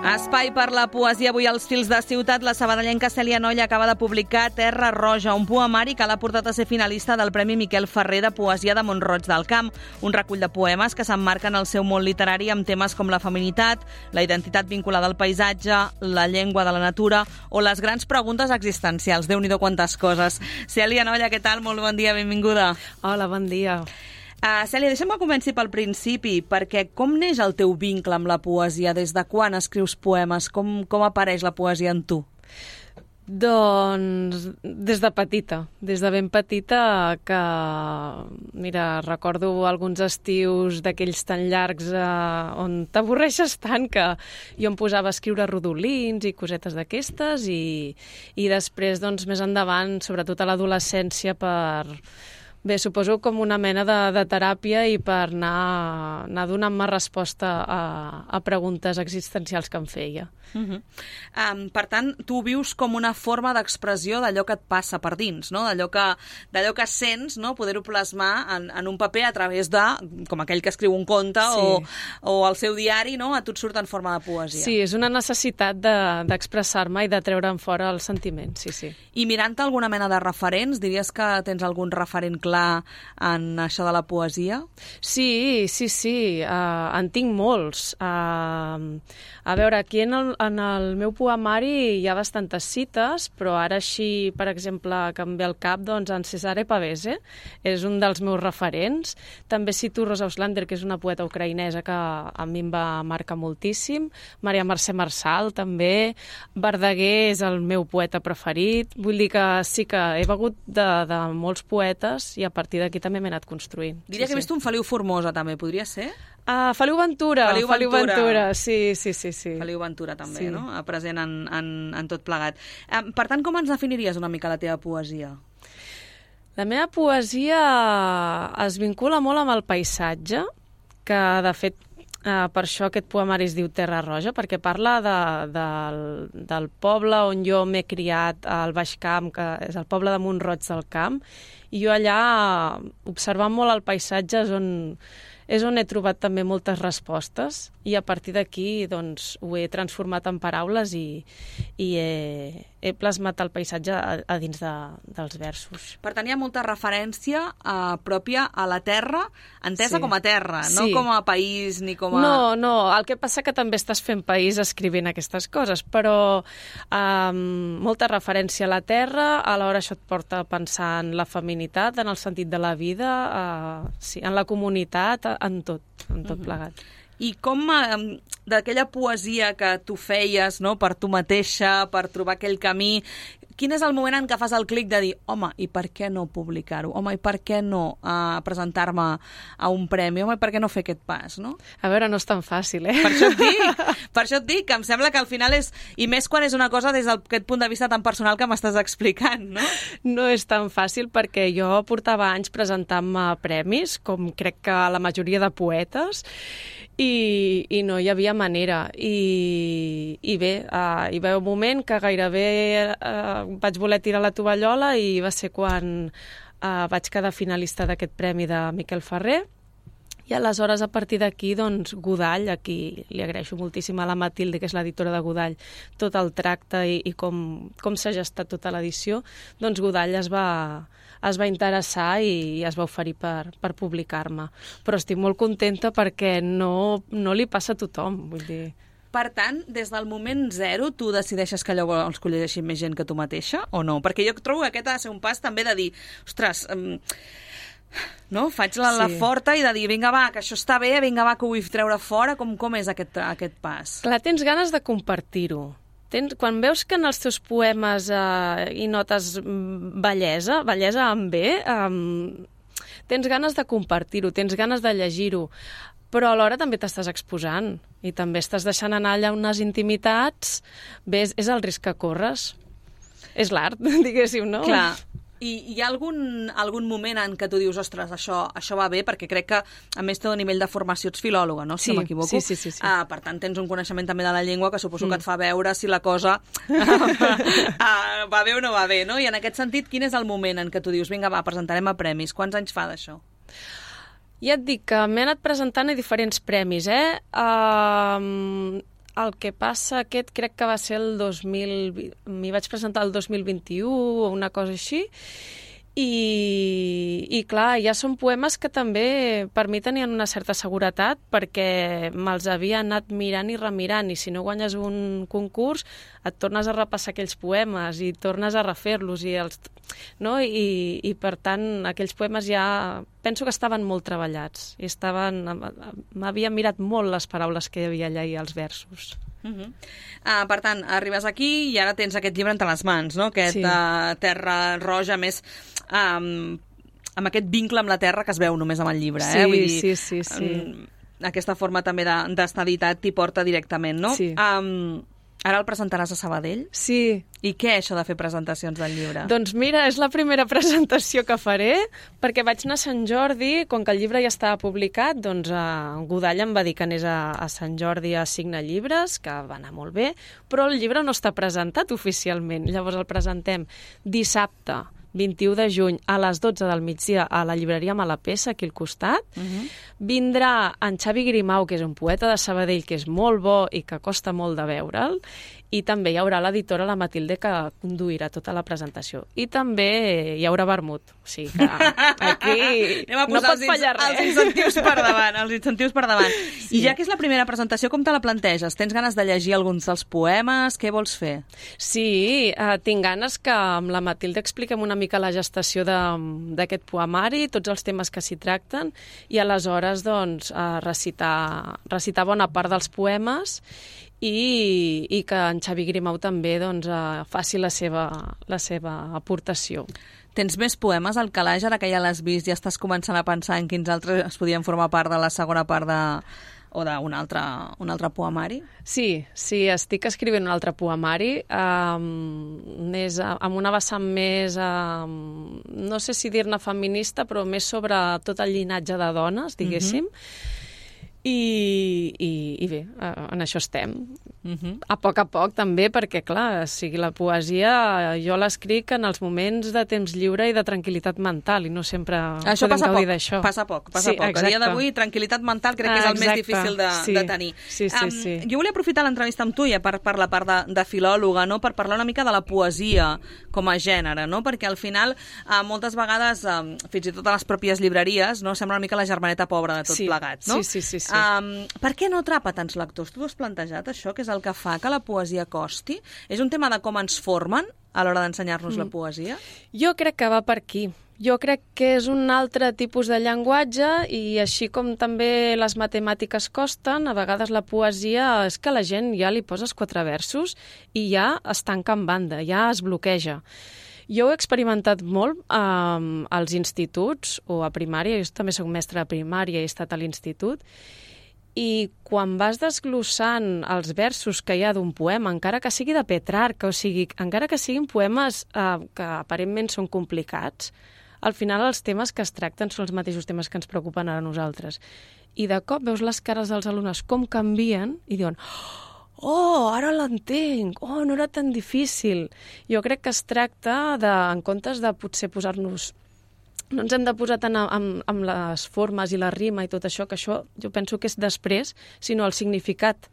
Espai per la poesia. Avui als Fils de Ciutat, la sabadellenca Cèlia Nolla acaba de publicar Terra Roja, un poemari que l'ha portat a ser finalista del Premi Miquel Ferrer de Poesia de Mont-roig del Camp, un recull de poemes que s'emmarquen al seu món literari amb temes com la feminitat, la identitat vinculada al paisatge, la llengua de la natura o les grans preguntes existencials. Déu-n'hi-do quantes coses. Cèlia Nolla, què tal? Molt bon dia, benvinguda. Hola, bon dia. Cèlia, deixa'm que comenci pel principi, perquè com neix el teu vincle amb la poesia? Des de quan escrius poemes? Com apareix la poesia en tu? Doncs des de petita, des de ben petita, que, mira, recordo alguns estius d'aquells tan llargs on t'avorreixes tant que jo em posava a escriure rodolins i cosetes d'aquestes i després, doncs, més endavant, sobretot a l'adolescència, bé, suposo com una mena de teràpia i per anar donant-me resposta a preguntes existencials que em feia. Per tant, tu ho vius com una forma d'expressió d'allò que et passa per dins, no? D'allò que sents, no? Poder-ho plasmar en un paper a través de, com aquell que escriu un conte, sí, o el seu diari, no? A tu et surt en forma de poesia. Sí, és una necessitat d'expressar-me i de treure'm fora els sentiments, sí. I mirant-te alguna mena de referents, diries que tens algun referent clar en això de la poesia? Sí, en tinc molts. A veure, aquí en el meu poemari hi ha bastantes cites, però ara així, per exemple, que em ve al cap, doncs en Cesare Pavese és un dels meus referents. També cito Rosa Auslander, que és una poeta ucraïnesa que a mi em va marcar moltíssim. Maria Mercè Marçal, també. Verdaguer és el meu poeta preferit. Vull dir que sí que he begut de molts poetes i a partir d'aquí també m'he anat construint. Diria que he vist un Feliu Formosa, també, podria ser? Feliu Ventura, sí. Feliu Ventura també, sí, no? Present en tot plegat. Per tant, com ens definiries una mica la teva poesia? La meva poesia es vincula molt amb el paisatge, que de fet per això aquest poemari es diu Terra Roja, perquè parla del poble on jo m'he criat al Baix Camp, que és el poble de Mont-roig del Camp, i jo allà, observant molt el paisatge, és on he trobat també moltes respostes i a partir d'aquí doncs, ho he transformat en paraules i he plasmat el paisatge a dins dels versos. Per tant, hi ha molta referència pròpia a la terra, entesa com a terra, no com a país ni com a... No, el que passa que també estàs fent país escrivint aquestes coses, però molta referència a la terra, alhora això et porta a pensar en la feminitat, en el sentit de la vida, en la comunitat, en tot plegat. I com d'aquella poesia que tu feies, no, per tu mateixa, per trobar aquell camí, quin és el moment en què fas el clic de dir home, i per què no publicar-ho? Home, i per què no presentar-me a un premi? Home, i per què no fer aquest pas, no? A veure, no és tan fàcil, Per això et dic, que em sembla que al final és... I més quan és una cosa des d'aquest punt de vista tan personal que m'estàs explicant, no? No és tan fàcil perquè jo portava anys presentant-me a premis, com crec que la majoria de poetes, i no hi havia manera. I bé, hi va haver un moment que gairebé vaig voler tirar la tovallola i va ser quan vaig quedar finalista d'aquest premi de Miquel Ferrer. I aleshores, a partir d'aquí, doncs, Godall, a qui li agraeixo moltíssim a la Matilde, que és l'editora de Godall, tot el tracte i com s'ha gestat tota l'edició, doncs Godall es va interessar i es va oferir per publicar-me. Però estic molt contenta perquè no li passa a tothom, vull dir... Per tant, des del moment zero, tu decideixes que allò vols que ho llegeixi més gent que tu mateixa, o no? Perquè jo trobo que aquest ha de ser un pas també de dir, ostres, no? Faig la forta i de dir, vinga va, que això està bé, vinga va, que ho vull treure fora, com és aquest pas? Clar, tens ganes de compartir-ho. Quan veus que en els teus poemes hi notes bellesa amb B, tens ganes de compartir-ho, tens ganes de llegir-ho, però alhora també t'estàs exposant i també estàs deixant anar allà unes intimitats. Bé, és el risc que corres. És l'art, diguéssim, no? Clar. I hi ha algun moment en què tu dius, ostres, això va bé, perquè crec que, a més, té un nivell de formació, ets filòloga, no? Si no m'equivoco. Sí. Per tant, tens un coneixement també de la llengua que suposo que et fa veure si la cosa va bé o no va bé, no? I en aquest sentit, quin és el moment en què tu dius, vinga, va, presentarem a premis? Quants anys fa d'això? Ja et dic que m'he anat presentant a diferents premis, el que passa aquest crec que va ser el 2000... M'hi vaig presentar el 2021 o una cosa així. I clar, ja són poemes que també per mi tenien una certa seguretat perquè me'ls havia anat mirant i remirant, i si no guanyes un concurs et tornes a repassar aquells poemes i tornes a refer-los i per tant aquells poemes ja penso que estaven molt treballats i m'havia mirat molt les paraules que hi havia allà i els versos. Per tant, arribes aquí i ara tens aquest llibre entre les mans, no? Aquest Terra Roja, més amb aquest vincle amb la terra que es veu només amb el llibre. Vull dir, sí. Aquesta forma també d'estar editat t'hi porta directament, no? Sí. Ara el presentaràs a Sabadell? Sí. I què això de fer presentacions del llibre? Doncs mira, és la primera presentació que faré, perquè vaig anar a Sant Jordi, com que el llibre ja estava publicat, doncs Godall em va dir que anés a Sant Jordi a signar llibres, que va anar molt bé, però el llibre no està presentat oficialment. Llavors el presentem dissabte, 21 de juny, a les 12 del migdia, a la llibreria Malapessa, aquí al costat. Vindrà en Xavi Grimau, que és un poeta de Sabadell, que és molt bo i que costa molt de veure'l, i també hi haurà l'editora, la Matilde, que conduirà tota la presentació. I també hi haurà vermut. O sigui que aquí no pot fallar res. Els incentius per davant. Sí. I ja que és la primera presentació, com te la planteges? Tens ganes de llegir alguns dels poemes? Què vols fer? Sí, tinc ganes que amb la Matilde expliquem una mica la gestació d'aquest poemari, tots els temes que s'hi tracten, i aleshores doncs, recitar bona part dels poemes i que en Xavi Grimau també doncs, faci la seva aportació. Tens més poemes al calaix, ara que ja l'has vist, ja estàs començant a pensar en quins altres es podien formar part de la segona part o d'un altre poemari? Sí, estic escrivint un altre poemari, amb una vessant més, no sé si dir-ne feminista, però més sobre tot el llinatge de dones, diguéssim. I bé, en això estem. A poc també, perquè clar, la poesia jo l'escric en els moments de temps lliure i de tranquil·litat mental, i no sempre podem gaudir d'això. Passa poc. A dia d'avui, tranquil·litat mental crec que és el més difícil de tenir. Sí. Jo volia aprofitar l'entrevista amb tu, ja per la part de filòloga, no? Per parlar una mica de la poesia com a gènere, no? Perquè al final, moltes vegades, fins i tot a les pròpies llibreries, no? Sembla una mica la germaneta pobra de tot plegat, no? Sí. Per què no atrapa tants lectors? Tu has plantejat això, que és el que fa que la poesia costi? És un tema de com ens formen a l'hora d'ensenyar-nos la poesia? Jo crec que va per aquí. Jo crec que és un altre tipus de llenguatge i així com també les matemàtiques costen, a vegades la poesia és que la gent ja li poses 4 versos i ja es tanca en banda, ja es bloqueja. Jo ho he experimentat molt als instituts o a primària, jo també soc mestra de primària i he estat a l'institut, i quan vas desglossant els versos que hi ha d'un poema, encara que sigui de Petrarca, o sigui, encara que siguin poemes que aparentment són complicats, al final els temes que es tracten són els mateixos temes que ens preocupen a nosaltres. I de cop veus les cares dels alumnes com canvien i diuen: oh, ara l'entenc, oh, no era tan difícil. Jo crec que es tracta en comptes de potser posar-nos... No ens hem de posar tant amb les formes i la rima i tot això, que això jo penso que és després, sinó el significat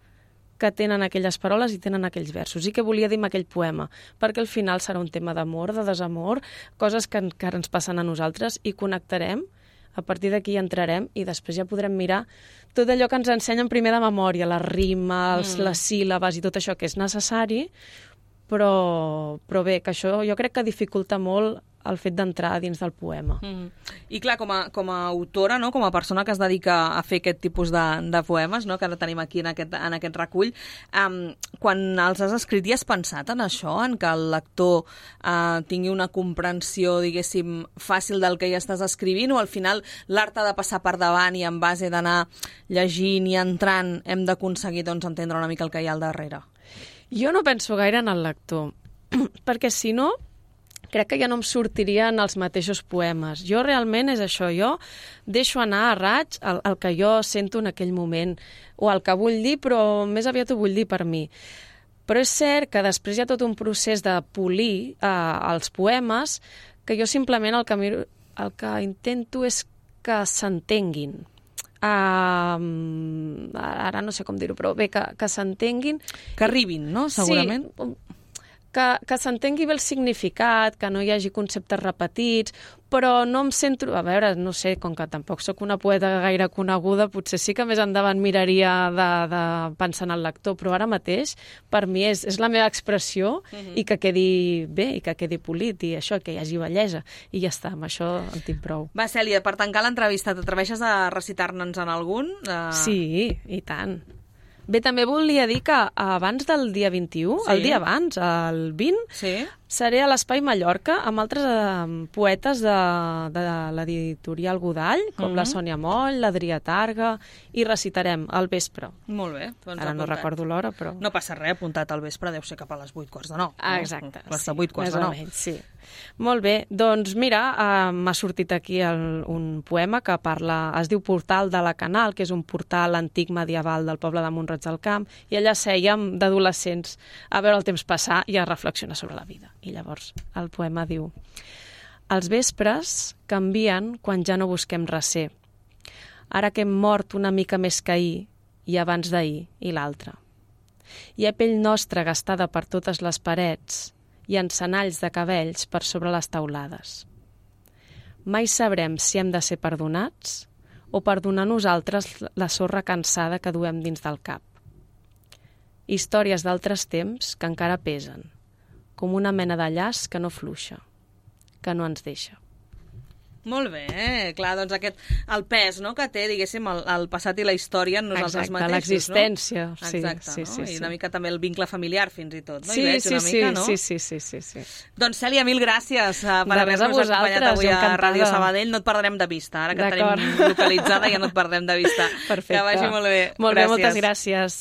que tenen aquelles paraules i tenen aquells versos. I què volia dir amb aquell poema? Perquè al final serà un tema d'amor, de desamor, coses que encara ens passen a nosaltres i connectarem, a partir d'aquí entrarem i després ja podrem mirar tot allò que ens ensenyen primer de memòria, la rima, les síl·labes i tot això que és necessari, però bé, que això jo crec que dificulta molt el fet d'entrar dins del poema. I clar, com a autora, no? Com a persona que es dedica a fer aquest tipus de poemes, no? Que ara tenim aquí en aquest recull, quan els has escrit i has pensat en això, en que el lector tingui una comprensió, diguéssim, fàcil del que hi estàs escrivint, o al final l'art ha de passar per davant i en base d'anar llegint i entrant hem d'aconseguir doncs, entendre una mica el que hi ha al darrere? Jo no penso gaire en el lector, perquè si no crec que ja no em sortirien els mateixos poemes. Jo realment és això, jo deixo anar a raig el que jo sento en aquell moment, o el que vull dir, però més aviat ho vull dir per mi. Però és cert que després hi ha tot un procés de polir els poemes, que jo simplement el que intento és que s'entenguin. ara no sé com dir-ho, però bé, que s'entenguin. Que arribin, no?, segurament. Sí, que s'entengui bé el significat, que no hi hagi conceptes repetits, però no em centro... A veure, no sé, com que tampoc sóc una poeta gaire coneguda, potser sí que més endavant miraria de pensar en el lector, però ara mateix, per mi, és la meva expressió i que quedi bé, i que quedi polit, i això, que hi hagi bellesa. I ja està, amb això en tinc prou. Va, Cèlia, per tancar l'entrevista, t'atreveixes a recitar-ne'ns en algun? Sí, i tant. Bé, també volia dir que abans del dia 21, el dia abans, el 20, seré a l'Espai Mallorca amb altres poetes de l'editorial Godall, com la Sònia Moll, l'Adrià Targa, i recitarem al vespre. Molt bé. Doncs ara no recordo l'hora, però... No passa res, apuntat al vespre, deu ser cap a les 8:45. Exacte. Les 8:45. Sí. Molt bé, doncs mira, m'ha sortit aquí un poema que es diu Portal de la Canal, que és un portal antic medieval del poble de Mont-roig del Camp, i allà sèiem d'adolescents a veure el temps passar i a reflexionar sobre la vida. I llavors el poema diu: els vespres canvien quan ja no busquem recer. Ara que hem mort una mica més que ahir, i abans d'ahir, i l'altre. Hi ha pell nostra gastada per totes les parets i encenalls de cabells per sobre les taulades. Mai sabrem si hem de ser perdonats o perdonar nosaltres la sorra cansada que duem dins del cap. Històries d'altres temps que encara pesen, com una mena de llaç que no fluixa, que no ens deixa. Molt bé, clar, doncs el pes, no?, que té, diguéssim, el passat i la història en nosaltres mateixos, l'existència, no? Sí. Exacte, sí. I una mica també el vincle familiar, fins i tot, no? Sí, Hi veig una mica, no? Sí. Doncs, Cèlia, mil gràcies per haver-nos acompanyat avui a Ràdio Sabadell. No et perdrem de vista, ara que et tenim localitzada ja no et perdrem de vista. Perfecte. Que vagi molt bé. Molt bé, moltes gràcies.